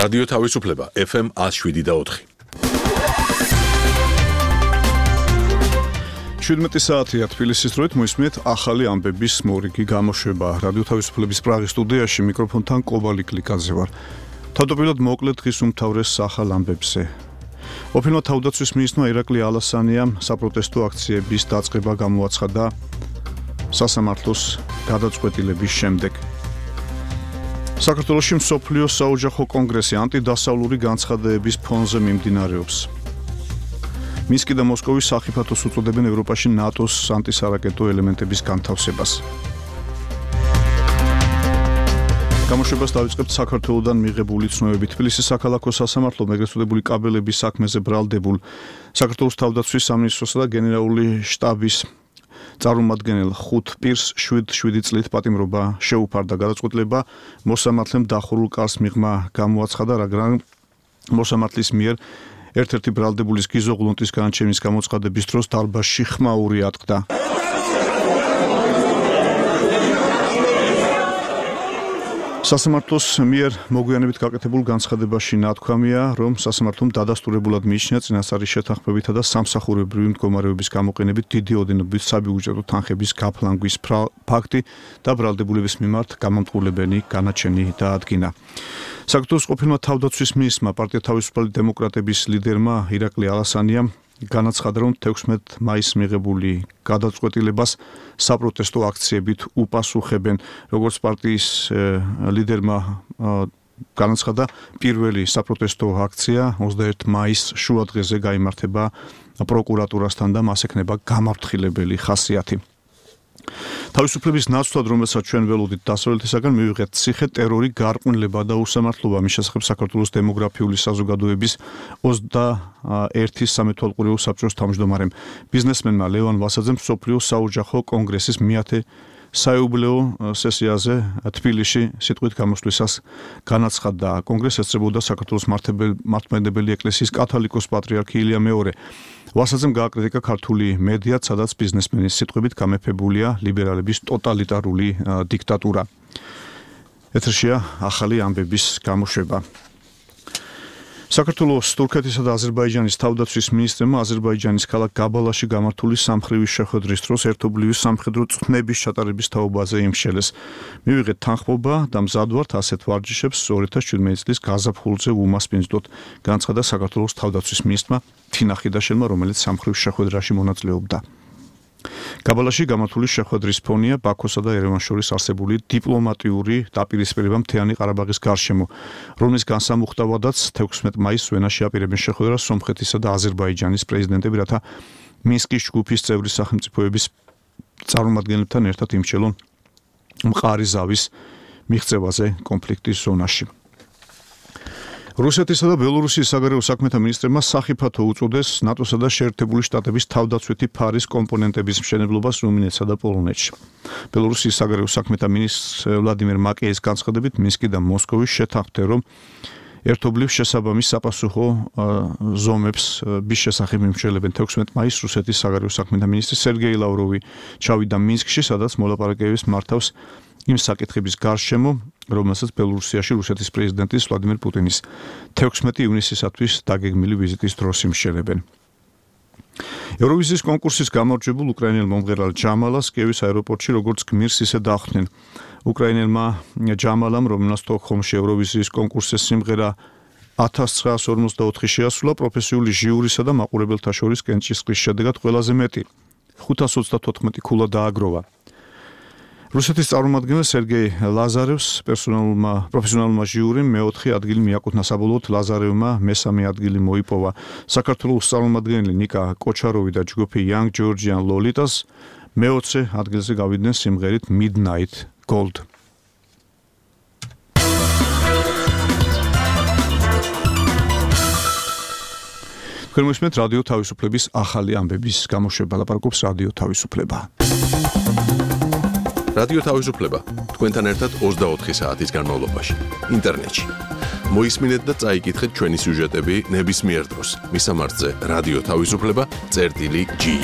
რადიო თავისუფლება FM 107.4. 17 საათია თბილისის დროით მოისმენთ ახალი ამბების მორიგი გამოშვება. რადიო თავისუფლების პრაღის სტუდიაში მიკროფონთან კობალი კლიკაძე ვარ. თავდაპირველად მოკლედ დღის უმთავრეს ახალ ამბებზე. ოფიциალურად თავდაცვის მინისტრმა ირაკლი ალასანიამ საპროტესტო აქციების დაწყება გამოაცხადა სასამართლოს გადაწყვეტილების შემდეგ. საქართველოში მსოფლიო საოჯახო კონგრესი ანტიდასავლური განცხადებების ფონზე მიმდინარეობს. მინსკი და მოსკოვის სახიფათოს უწოდებენ ევროპაში ნატოს ანტისარაკეტო ელემენტების განთავსებას. გამოშვებას დავიწყებთ საქართველოდან მიღებული ცნობებით. თბილისის საქალაქო სასამართლომ ეგრეთ წოდებული კაბელების საქმეზე ბრალდებულ საქართველოს თავდაცვის სამინისტროსა და გენერალური შტაბის წარმომადგენელ 5 პირს 7 წლით პატიმრობა შეუფარდა. გადაწყვეტილება მოსამართლემ დახურულ კარს მიღმა გამოაცხადა, მაგრამ მოსამართლის მიერ ერთ-ერთი ბრალდებულის გიზო ღლუნტის განაჩენის გამოცხადების დროს დარბაზში ხმაური ატყდა. სასამართლოს მიერ მოგვიანებით გაკეთებულ განცხადებაში ნათქვამია, რომ სასამართლომ დადასტურებულად მიიჩნია წინასწარი შეთანხმებითა და სამსახურებრივი მდგომარეობის გამოყენებით დიდი ოდენობით საბიუჯეტო თანხების გაფლანგვის ფაქტი და ბრალდებულების მიმართ გამამტყულებენი განაჩენი დაადგინა. საქართველოს ყოფილმა თავდაცვის მინისტრმა პარტია თავისუფალი დემოკრატების ლიდერმა ირაკლი ალასანიამ განაცხადა, რომ 16 მაისს მიღებული გადაწყვეტილებას საპროტესტო აქციებით უპასუხებენ. როგორც პარტიის ლიდერმა განაცხადა, პირველი საპროტესტო აქცია 21 მაისს შუადღეზე გაიმართება პროკურატურასთან და მას ექნება გამაფრთხილებელი ხასიათი. თავისუფლების ნაცვლად, რომელსაც ჩვენ ველოდით დასავლეთისაგან, მივიღეთ ციხე, ტერორი, გარყვნილება და უსამართლობა. მის შესახებ საქართველოს დემოგრაფიული საზოგადოების 21 სამეთვალყურეო საბჭოს თავმჯდომარემ ბიზნესმენმა ლევან ვასაძემ მსოფლიო საოჯახო კონგრესის მეათე საიუბილეო სესიაზე თბილისში სიტყვით გამოსვლისას განაცხადა. კონგრესს ესწრებოდა საქართველოს მართლმადიდებელი ეკლესიის კათოლიკოს პატრიარქი ილია მეორე. ვასაძემ გააკრიტიკა ქართული მედია, სადაც ბიზნესმენის სიტყვებით გამეფებულია ლიბერალების ტოტალიტარული დიქტატურა. ეთერშია ახალი ამბების გამოშვება. საქართველოს, თურქეთისა და აზერბაიჯანის თავდაცვის მინისტრებმა აზერბაიჯანის ქალაქ გაბალაში გამართული სამხრივი შეხვედრის დროს ერთობლივი სამხედრო წვნების ჩატარების თაობაზე იმშელეს. მივიღეთ თანხმობა და მზადვართ ასეთ ვარჯიშებს 2017 წლის გაზაფხულზე უმასპინძლოთ, განაცხადა საქართველოს თავდაცვის მინისტრმა თინა ხიდაშელმა, რომელიც სამხრივ შეხვედრაში მონაწილეობდა. გაბალაში გამართული შეხვედრის ფონია ბაქოსა და ერევანს შორის არსებული დიპლომატიური დაპირისპირება მთიანი ყარაბაღის გარშემო, რომლის განსამუხტავადაც 16 მაისს ვენაში აპირებენ შეხვედრას სომხეთისა და აზერბაიჯანის პრეზიდენტები, რათა მინსკის ჯგუფის წევრი სახელმწიფოების წარმომადგენლებთან ერთად იმშელონ მყარი ზავის მიღწევაზე კონფლიქტის ზონაში. რუსეთისა და ბელორუსიის საგარეო საქმეთა მინისტრებმა სახიფათო უწოდეს ნატოსა და შეერთებული შტატების თავდაცვითი ფარის კომპონენტების მშენებლობას რუმინეთსა და პოლონეთში. ბელორუსიის საგარეო საქმეთა მინისტრ ვლადიმერ მაკეის განცხადებით, მინსკი და მოსკოვი შეთანხმდნენ, რომ ერთობლივ შესაბამის საპასუხო ზომებს bis შესახებ მიმშელებენ. 16 მაისს რუსეთის საგარეო საქმეთა მინისტრი სერგეი ლავროვი ჩავიდა მინსკში, სადაც მოლაპარაკებებს მართავს იმ საკითხების გარშემო, რომელსაც ბელორუსიაში რუსეთის პრეზიდენტის ვლადიმერ პუტინის 16 ივნისისათვის დაგეგმილი ვიზიტის დროს იმშელებენ. ევროვიზიის კონკურსის გამარჯვებულ უკრაინელ მომღერალ ჯამალას კიევის აეროპორტში როგორც გმირს ისე დახვდნენ. უკრაინელმა ჯამალამ, რომელსაც სტოკჰოლმში ევროვიზიის კონკურსის სიმღერა 1954 შეასრულა, პროფესიული ჟიურისა და მაყურებელთა შორის კენჭისყრის შედეგად ყველაზე მეტი 534 ქულა დააგროვა. რუსეთის წარმომადგენელ სერგეი ლაზარევს პროფესიონალურმა ჟიურიმ მეოთხე ადგილი მიაკუთვნა, საბოლოოდ ლაზარევმა მესამე ადგილი მოიპოვა. საქართველოს წარმომადგენელი ნიკა კოჩაროვი და ჯგუფი Young Georgian Lolitas მეოცე ადგილზე გავიდნენ სიმღერით Midnight Gold. თქვენ მოსმენთ რადიო თავისუფლების ახალი ამბების გამოშვება, ლაპარაკობს რადიო თავისუფლება. რადიო თავისუფლება თქვენთან ერთად 24 საათის განმავლობაში ინტერნეტში. მოისმინეთ და წაიკითხეთ ჩვენი სიუჟეტები ნებისმიერ დროს. მისამართზე რადიო თავისუფლება წერტილი G.